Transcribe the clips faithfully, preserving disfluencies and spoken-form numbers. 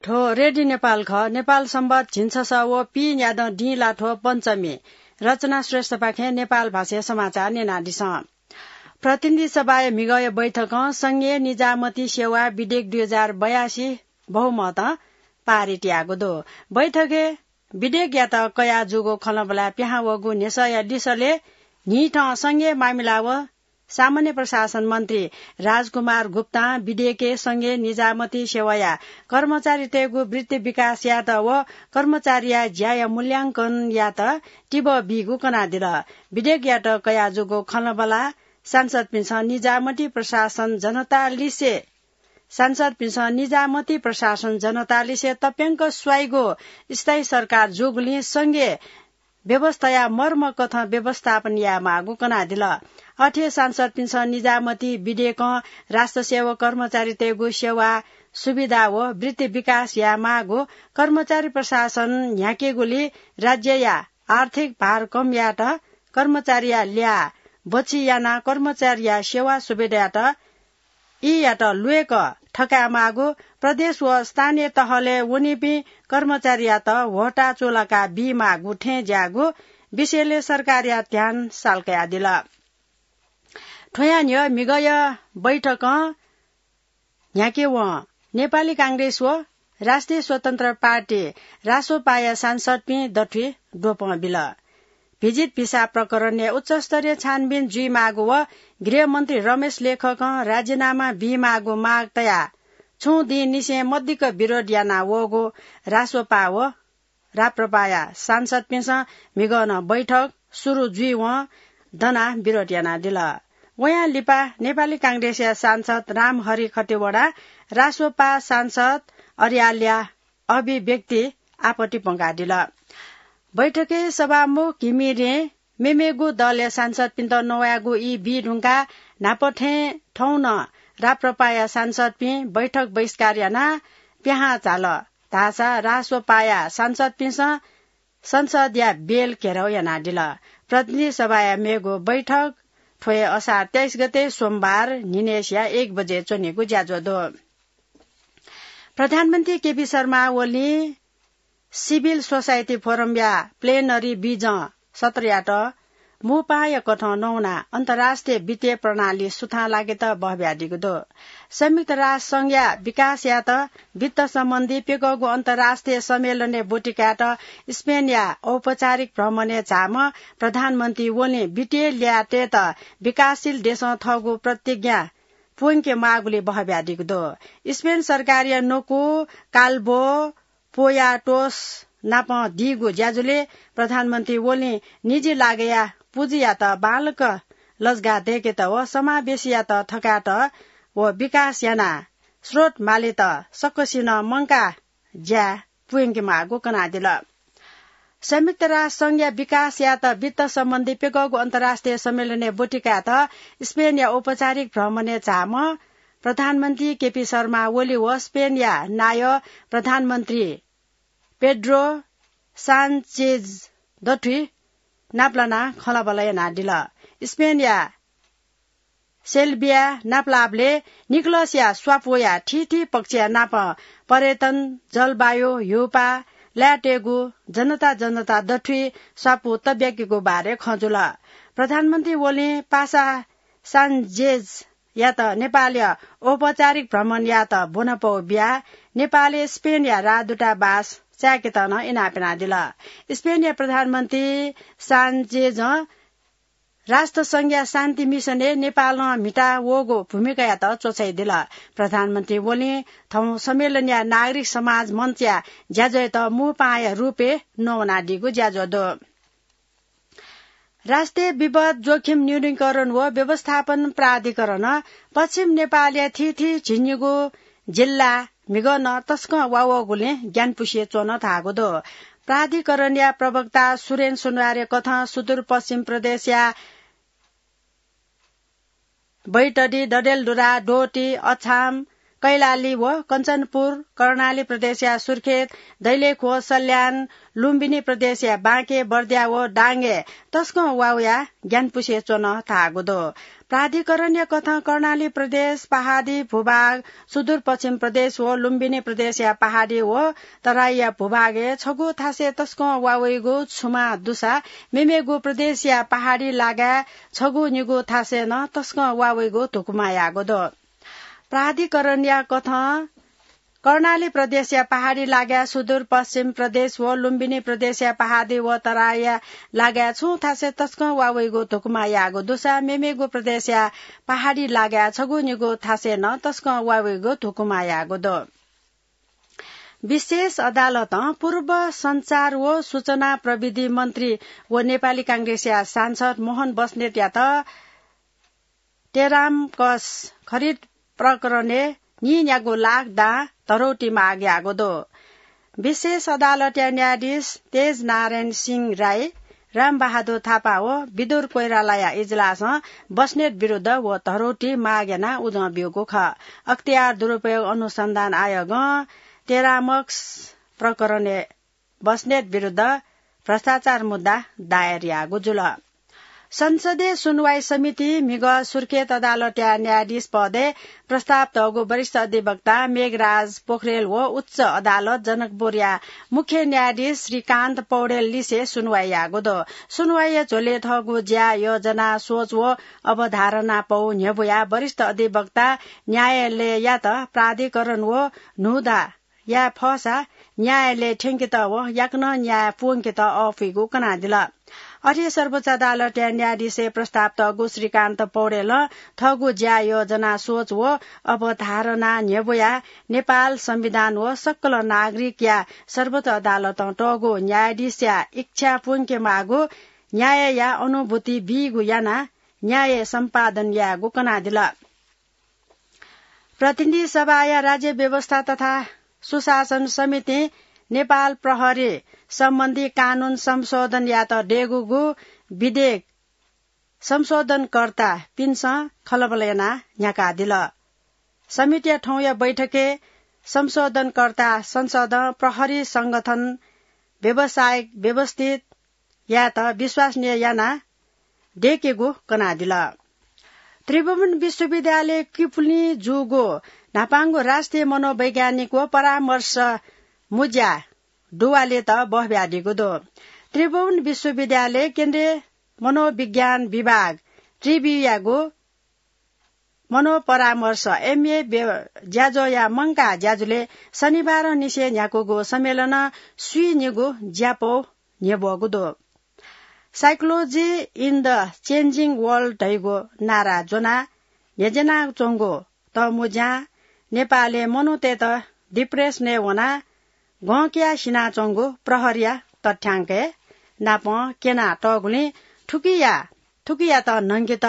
थ्व रेडियो नेपाल खः। नेपाल संवत झिंछसः व पीन्यादँ दिं लाथ्व पञ्चमी। रचना श्रेष्ठपाखें नेपाल भाषाया समाचार न्यनादिसँ। प्रतिनिधि सभाया म्हिगःया बैठकं संघीय निजामती सेवा विधेयक दुई हजार बयासी बहुमतं पारित याःगु दु। बैठकय् विधेयकयात कयाः जूगु खँल्हाबल्हा पिहां वःगु न्ह्यसःया लिसलय् न्हिथं संघीय मामिला व सामान्य प्रशासन मन्त्री राजकुमार गुप्तां विधेयकय् संघीय निजामती सेवाया कर्मचारीतय्गु वृत्ति विकास यायेत व कर्मचारीया ज्याया मूल्यांकन यायेत तिबः बीगु कनादिल। विधेयकयात कयाः जूगु खँल्हाबल्हा सांसदपिन्सं निजामती प्रशासन जनता लिसे सांसदपिन्सं निजामती प्रशासन जनता लिसे तप्यंक स्वाइगु स्थायी सरकार जूगुलिं संघीय व्यवस्थाया मर्मकथं व्यवस्थापन यायेमाःगु कनादिल। अथे सांसदपिन्सं निजामती विधेयकं राष्ट्र सेवक कर्मचारीतय्गु सेवा सुविधा व वृत्ति विकास यायेमाःगु, कर्मचारी प्रशासन न्ह्याकेगुली राज्यया आर्थिक भार कम यायेत कर्मचारीया ल्याः बचय् यानाः कर्मचारीया सेवा सुविधायात ईयात ल्वय्क थकायेमाःगु, प्रदेश व स्थानीय तहलय् वनीपिं कर्मचारीयात ह्वःताः चूलाका बीमाःगु थें ज्याःगु विषयलय् सरकारया ध्यान साल कयादिल। थ्वया न्ह्यः म्हिगःया बैठकं न्ह्याके वं नेपाली कांग्रेस व राष्ट्रिय स्वतन्त्र पार्टी रासोपाया सांसदपिं दथुइ द्वपं बिल। भिजित भिसा प्रकरणय् उच्चस्तरीय छानबिन जुइमाःगु व गृहमन्त्री रमेश लेखकं राजीनामा बीमाःगु माग तयाः छुं दिंनिसें मदिक्क विरोध याना वःगु रासोपा व राप्रपाया सांसदपिन्सं म्हिगः नं बैठक सुरु जुइवं दनाः विरोध यानादिल। वयां लिपा नेपाली कांग्रेसया सांसद रामहरि खतिवडा रासोपा सांसद अर्यालया अभिव्यक्ति आपत्ति प्वंकादिल। बैठकय् सभामुख घिमिरें मेमेगु दलया सांसदपिन्त नवायेगु ई बी धुंकाः न्हापा थें थौं नं राप्रपाया सांसदपिं बैठक बहिष्कार यानाः पिहां झाल धाःसा रासोपाया सांसदपिन्सं संसदया बेल घेराउ यानादिल। प्रतिनिधि सभाया मेगु बैठक थ्व हे असार तेइस गते सोमबार न्हिनय्सिया एक बजे च्वनेगु ज्याझ्वः दु। प्रधानमन्त्री केपी शर्मा ओलीं सिभिल सोसाइटी फोरमया प्लेनरी बिजं सत्रयात मू पाहांया कथं नवानाः अन्तर्राष्ट्रिय वित्तीय प्रणाली सुथां लागेत बहब्यादीगु दु। संयुक्त राष्ट्र संघया विकास यायेत वित्त सम्बन्धी प्यकःगु अन्तर्राष्ट्रिय सम्मेलनय् ब्वति कायेत स्पेनया औपचारिक भ्रमणय् झाःम्ह प्रधानमन्त्री ओलीं वित्तीय ल्याः तयेत विकासशील देशं थःगु प्रतिज्ञा पूवंके माःगुलिइ बहब्यादीगु दु। स्पेन सरकारया न्वकू काल्बो पोयाटोस नाप दीगु ज्याझ्वलय् प्रधानमन्त्री ओलीं निजी लागःया पुँजीयात बांलाक लजगाः दय्केत व समावेशीयात थकायेत व विकास यानाः स्रोत मालेत सकसिनं मंकाः ज्या पूवंके माःगु कनादिल। संयुक्त राष्ट्र संघया विकास यायेत वित्त सम्बन्धी प्यकःगु अन्तर्राष्ट्रिय सम्मेलनय् ब्वति कायेत स्पेनया औपचारिक भ्रमणय् झाःम्ह प्रधानमन्त्री केपी शर्मा ओली व स्पेनया नायः प्रधानमन्त्री पेड्रो सान्चेज दथुइ नापलानाः खँल्हाबल्हा यानादिल। स्पेनया सेल्बिया नापलाःबलय् निकोलसया स्वापूया थीथी पक्षया नाप पर्यटन, जलवायु, ह्यूपाः, लायेतय्गु जनता जनता दथुइ स्वापू तब्याकेगु बारे खँ जुल। प्रधानमन्त्री ओलीं पासा सान्चेजयात नेपालया औपचारिक भ्रमण यायेत ब्वनापौ बियाः नेपालय् स्पेनया राजदूतावास चाय्केत नं इनाप यानादिल। स्पेनया प्रधानमन्त्री सान्चेजं राष्ट्र संघया शान्ति मिशनय् नेपालं म्हिता वःगु भूमिकायात च्वछाइदिल। प्रधानमन्त्री ओलीं थौं सम्मेलनया नागरिक समाज मञ्चया ज्याझ्वःयात मू पाहांया रूपय् नवानादीगु ज्याझ्वः दु। राष्ट्रिय विपद जोखिम न्यूनीकरण व व्यवस्थापन प्राधिकरणं पश्चिम नेपालया थीथी झिंनिगू जिल्ला म्हिगः नं तसकं वा वःगुलिं ग्यानापुसे च्वन धाःगु दु। प्राधिकरणया प्रवक्ता सुरेन सुनवारया कथं सुदूरपश्चिम प्रदेशया बैतडी, डडेलधुरा, डोटी, अछाम, कैलाली व कञ्चनपुर, कर्णाली प्रदेशया सुर्खेत, दैलेख व सल्यान, लुम्बिनी प्रदेशया बाँके, बर्दिया व डाँगे तसकं वा वया ग्यानापुसे च्वन धाःगु दु। प्राधिकरणया कथं कर्णाली प्रदेश, पहाडी भूभाग, सुदूरपश्चिम प्रदेश व लुम्बिनी प्रदेशया पहाडी व तराईया भूभागय् छगू थासय् तसकं वा वइगु छुमा दुसा मेमेगु प्रदेशया पहाडी लागाय् छगू निगू थासय् नं तसकं वा वइगु धुकुमा याःगु दु। प्राधिकरणया कथं कर्णाली प्रदेशया पहाडी लागाय् सुदूरपश्चिम प्रदेश व लुम्बिनी प्रदेशया पहाडी व तराईया लागाय् छुं थासय् तसकं वा वइगु धुकुमा याःगु दुसा मेमेगु प्रदेशया पहाडी लागाय् छगू निगू थासय् नं तसकं वा वइगु धुकुमा याःगु दु। विशेष अदालतं पूर्व सञ्चार व सूचना प्रविधि मन्त्री व नेपाली कांग्रेसया सांसद मोहन बस्नेतयात टेरामक्स खरिद प्रकरणय् नीन्यागू लाख दां धरौटी माग याःगु दु। विशेष अदालतया न्यायाधीश तेज नारायण सिंह राई, रामबहादुर थापा व विदुर कोइरालाया इजलासं बस्नेत विरुद्ध व धरौटी माग यानाः उजं ब्यूगु खः। अख्तियार दुरुपयोग अनुसन्धान आयोगं टेरामक्स प्रकरणय् बस्नेत विरुद्ध भ्रष्टाचार मुद्दा दायर याःगु जुल। संसदीय सुनवाई समिति म्हिगः सुर्खेत अदालतया न्यायाधीश पदय् प्रस्ताव तःगु वरिष्ठ अधिवक्ता मेघराज पोखरेल व उच्च अदालत जनकपुरया मुख्य न्यायाधीश श्रीकान्त पौडेल लिसे सुनवाई याःगु दु। सुनवाईया झ्वलय् थःगु ज्या, योजना, सोच व अवधारणा पौ न्ह्यब्वयाः वरिष्ठ अधिवक्ता न्यायालययात प्राधिकरण व न्हूदँ याये फःसा न्यायालय थ्यंकेत व याकनं न्याय प्वंकेत अःपुइगु कनादिल। अथे सर्वोच्च अदालतया न्यायाधीशय् प्रस्ताव तःगु श्रीकान्त पौडेलं थःगु ज्या, योजना, सोच व अवधारणा न्ह्यब्वयाः नेपाल संविधान व सकल नागरिकया सर्वोच्च अदालतं तःगु न्यायाधीशया इच्छा प्वंके माःगु न्यायया अनुभूति बीगु यानाः न्याय सम्पादन यायेगु कनादिल। प्रतिनिधि सभाया राज्य व्यवस्था तथा सुशासन समितिं नेपाल प्रहरी सम्बन्धी कानून संशोधन यायेत दयेकूगु विधेयक संशोधनकर्तापिन्सं खँल्हाबल्हा यानाः न्ह्याकादिल। समितिया थौंया बैठकय् संशोधनकर्ता संसदं प्रहरी संगठन व्यावसायिक व्यवस्थित यायेत विश्वसनीय यानाः दयेकेगु कनादिल। त्रिभुवन विश्वविद्यालय किपुलिं जूगु न्हापांगु राष्ट्रिय मनोवैज्ञानिक व परामर्श मुँज्या डुवालेत बहब्यादीगु दु। त्रिभुवन विश्वविद्यालय केन्द्रीय मनोविज्ञान विभाग त्रिवियागु मनोपरामर्श एमए ज्याझ्वःया मंकाः ज्याझ्वलय् शनिबारंनिसें न्ह्याकूगु सम्मेलनं स्वीनिगू ज्यापौ न्ह्यब्वःगु दु। Psychology in the Changing World धइगु नारा ज्वनाः न्ह्यज्यानाच्वंगु तःमुँज्यां नेपालय् मनूतय्त डिप्रेसनय् वनाः गंकिया सिनाच्वंगु प्रहरीया तथ्यांकय् नापं क्यनातःगुलिं थुकिया थुकियात न्हंकेत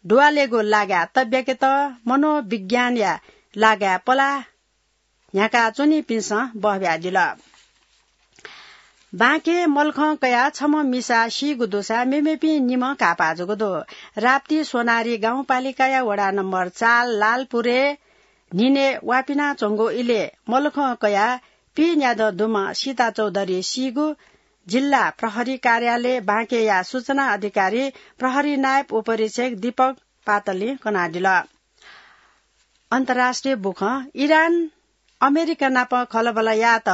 डुवालेगु लागाय् तब्याकेत मनोविज्ञानया लागाय् पलाः न्ह्याकाच्वनीपिन्सं बहब्यादिल। बाँके मल्खं कयाः छम्ह मिसा सीगु दुसा मेमेपिं निम्ह घाःपाः जूगु दु। राप्ती सोनारी गाउँपालिकाया वडा नम्बर चार लालपुरय् न्हिनय् वापिनाच्वंगु इलय् मल्खं कयाः पीन्यादँ दुम्ह सीता चौधरी सीगु जिल्ला प्रहरी कार्यालय बाँकेया सूचना अधिकारी प्रहरी नायब उपरीक्षक दीपक पातलय् कनादिल। अन्तर्राष्ट्रिय बुखँ, इरान अमेरिका नाप खँल्हाबल्हा यायेत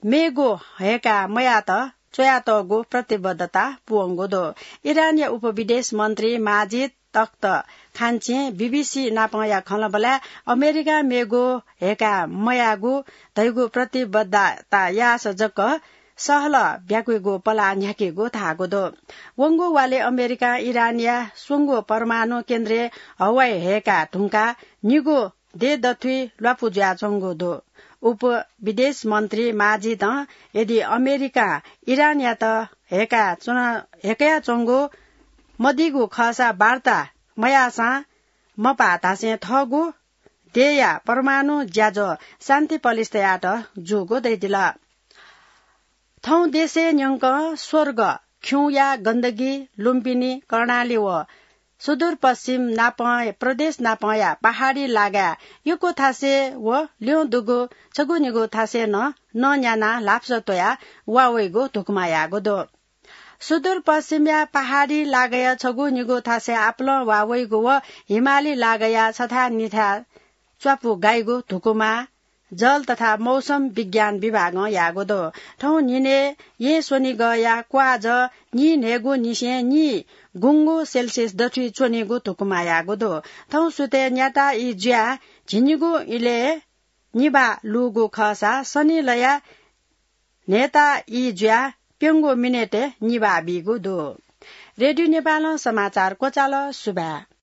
मेगु हय्काः मयायेत च्वयातःगु प्रतिबद्धता पूवंगु दु। इरानया उपविदेश मन्त्री माजिद तख्त खान्चिं बीबीसी नापंया खँल्हाबल्हाय् अमेरिकां मेगु हय्काः मयायेगु धइगु प्रतिबद्धता याःसा जक सहलह ब्याक्वीगु पलाः न्ह्याकीगु धाःगु दु। वंगु वालय् अमेरिकां इरानया स्वंगू परमाणु केन्द्रय् हवाई हय्काः धुंकाः निगू देय् दथुइ ल्वापु जुयाच्वंगु दु। उपविदेश मन्त्री माजिदं यदि अमेरिकां इरानयात हय्काः च्वन, हय्कयाच्वंगु मदीगु खःसा वार्ता मयाःसां मपाः धासें थःगु देय्‌या परमाणु ज्याझ्वः शान्ति पलिस तयात जूगु धयादिल। थौं देशय् न्यंकं स्वर्ग खिउँया गन्दगी लुम्बिनी, कर्णाली व सुदूरपश्चिम नापं प्रदेश नापंया पहाडी लागाय् यक्व थासय् व ल्यं दुगु छगू निगू थासय् नं नं न्यानाः ल्हापसः त्वयाः वा वइगु धुकुमा याःगु दु। सुदूरपश्चिमया पहाडी लागाया छगू निगू थासय् आपालं वा वइगु व हिमाली लागाया छथाय् निथाय् च्वापु गाइगु धुकुमा जल तथा मौसम विज्ञान विभागं याःगु दु। थौं न्हिनय् येँ स्वनिगःया क्वाःजः नीन्हय्गु निसें नीगुंगु सेल्सियस दथुइ च्वनीगु धुकुमा याःगु दु। थौं सुथय् न्याता ई जुयाः झिंनिगू इलय् निभाः लूगु खःसा सनिलया न्हय्ता ई जुयाः प्यंगू मिनेटय् निभाः बीगु दु। रेडियो नेपालं समाचार क्वचाल। सुभाय्।